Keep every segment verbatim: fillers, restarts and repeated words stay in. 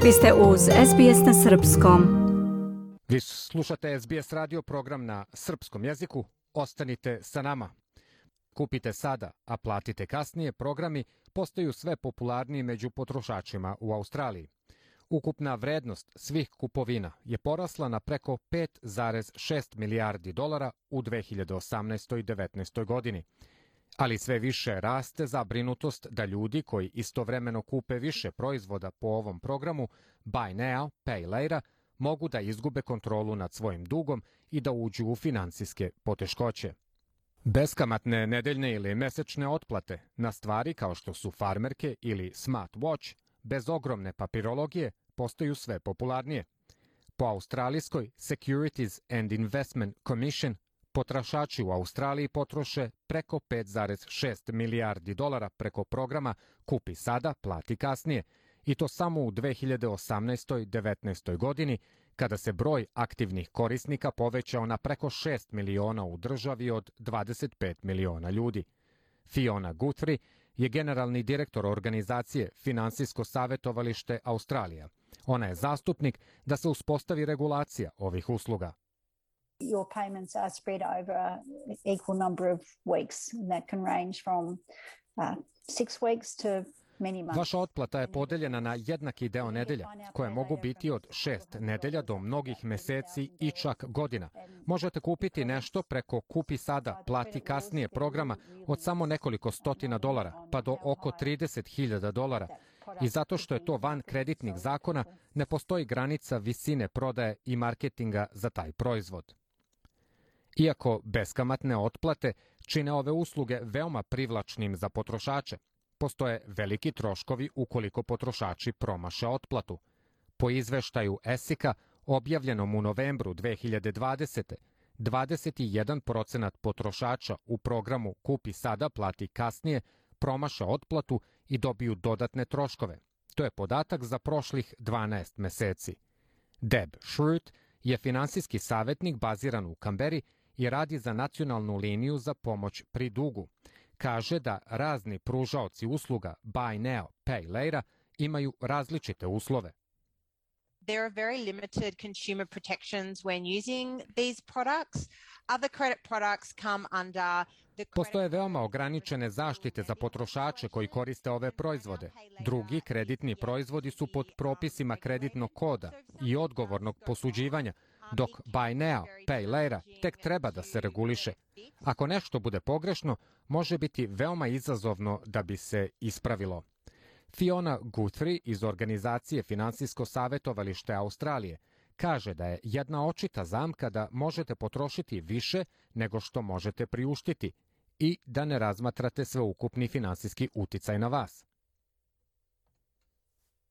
Vi ste uz S B S na srpskom. Vi slušate S B S radio program na srpskom jeziku. Ostanite sa nama. Kupite sada, a platite kasnije programi postaju sve popularniji među potrošačima u Australiji. Ukupna vrednost svih kupovina je porasla na preko pet zarez šest milijardi dolara u dve hiljade osamnaestoj i devetnaestoj godini. Ali sve više raste zabrinutost da ljudi koji istovremeno kupe više proizvoda po ovom programu Buy Now, Pay Later, mogu da izgube kontrolu nad svojim dugom i da uđu u finansijske poteškoće. Beskamatne nedeljne ili mesečne otplate na stvari kao što su farmerke ili smartwatch bez ogromne papirologije postaju sve popularnije. Po australijskoj Securities and Investment Commission potrošači u Australiji potroše preko pet zarez šest milijardi dolara preko programa Kupi sada, plati kasnije, i to samo u dve hiljade osamnaestoj i devetnaestoj godini, kada se broj aktivnih korisnika povećao na preko šest miliona u državi od dvadeset pet miliona ljudi. Fiona Guthrie je generalni direktor organizacije Finansijsko savjetovalište Australija. Ona je zastupnik da se uspostavi regulacija ovih usluga. Your payments are spread over an equal number of weeks, and that can range from uh, six weeks to many months. Vaša otplata je podeljena na jednaki deo nedelja, koje mogu biti od šest nedelja do mnogih meseci i čak godina. Možete kupiti nešto preko Kupi sada, plati kasnije programa od samo nekoliko stotina dolara, pa do oko trideset hiljada dolara. I zato što je to van kreditnih zakona, ne postoji granica visine prodaje i marketinga za taj proizvod. Iako beskamatne otplate čine ove usluge veoma privlačnim za potrošače, postoje veliki troškovi ukoliko potrošači promaše otplatu. Po izveštaju ESIC-a, objavljenom u novembru dve hiljade dvadesete. dvadeset jedan procenat potrošača u programu Kupi sada, plati kasnije promaše otplatu i dobiju dodatne troškove. To je podatak za prošlih dvanaest meseci. Deb Schrute je finansijski savjetnik baziran u Kamberi i radi za nacionalnu liniju za pomoć pri dugu. Kaže da razni pružaoci usluga Buy Now, Pay Later imaju različite uslove. There are very limited consumer protections when using these products. Other credit products come under the Postoje veoma ograničene zaštite za potrošače koji koriste ove proizvode. Drugi kreditni proizvodi su pod propisima kreditnog koda i odgovornog posuđivanja, dok Buy Now, Pay Later tek treba da se reguliše. Ako nešto bude pogrešno, može biti veoma izazovno da bi se ispravilo. Fiona Guthrie iz organizacije Finansijsko savjetovalište Australije kaže da je jedna očita zamka da možete potrošiti više nego što možete priuštiti i da ne razmatrate sveukupni finansijski uticaj na vas.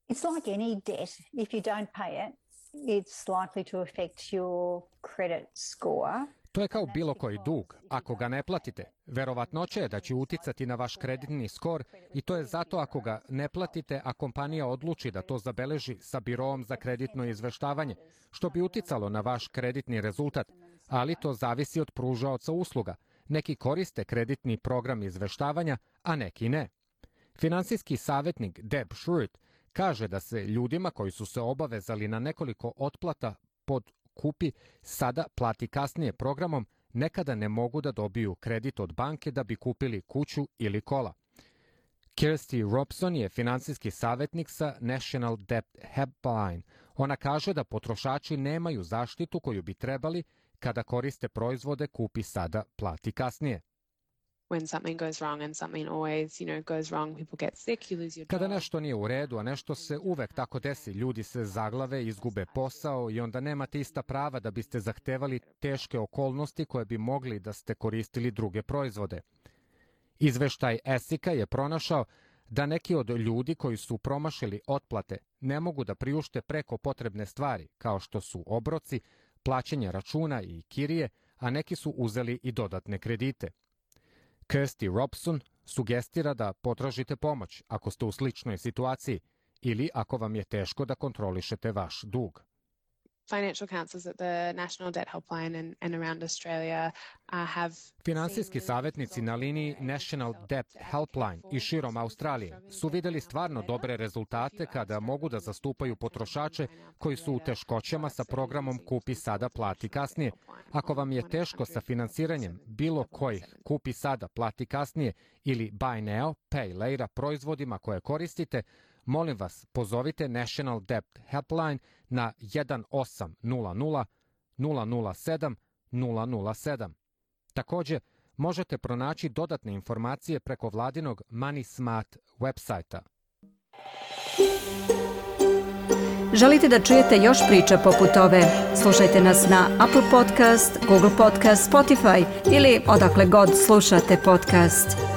It's like any debt. If you don't pay it, it's likely to affect your credit score. To je kao bilo koji dug. Ako ga ne platite, verovatnoća je da će uticati na vaš kreditni skor i to je zato ako ga ne platite, a kompanija odluči da to zabeleži sa biroom za kreditno izveštavanje, što bi uticalo na vaš kreditni rezultat, ali to zavisi od pružaoca usluga. Neki koriste kreditni program izveštavanja, a neki ne. Finansijski savjetnik Deb Schrute kaže da se ljudima koji su se obavezali na nekoliko otplata pod Kupi sada, plati kasnije programom, nekada ne mogu da dobiju kredit od banke da bi kupili kuću ili kola. Kirsty Robson je finansijski savjetnik sa National Debt Helpline. Ona kaže da potrošači nemaju zaštitu koju bi trebali kada koriste proizvode Kupi sada, plati kasnije. When something goes wrong and something always, you know, goes wrong, people get sick, you lose your job. Kada nešto nije u redu, a nešto se uvek tako desi, ljudi se zaglave, izgube posao i onda nemate ista prava da biste zahtevali teške okolnosti koje bi mogli da ste koristili druge proizvode. Izveštaj ESIC-a je pronašao da neki od ljudi koji su promašili otplate ne mogu da priušte preko potrebne stvari, kao što su obroci, plaćanje računa i kirije, a neki su uzeli i dodatne kredite. Kirsty Robson sugestira da potražite pomoć ako ste u sličnoj situaciji ili ako vam je teško da kontrolišete vaš dug. financial counsellors at the National Debt Helpline and, and around Australia uh, have... Finansijski savjetnici na liniji National Debt Helpline i širom Australije su vidjeli stvarno dobre rezultate kada mogu da zastupaju potrošače koji su u teškoćama sa programom Kupi sada, plati kasnije. Ako vam je teško sa finansiranjem bilo kojih Kupi sada, plati kasnije ili Buy Now, Pay Later proizvodima koje koristite, molim vas, pozovite National Debt Helpline na jedan osam nula nula nula nula sedam nula nula sedam. Također, možete pronaći dodatne informacije preko vladinog Money Smart websajta. Želite da čujete još priča poput ove? Slušajte nas na Apple Podcast, Google Podcast, Spotify ili odakle god slušate podcast.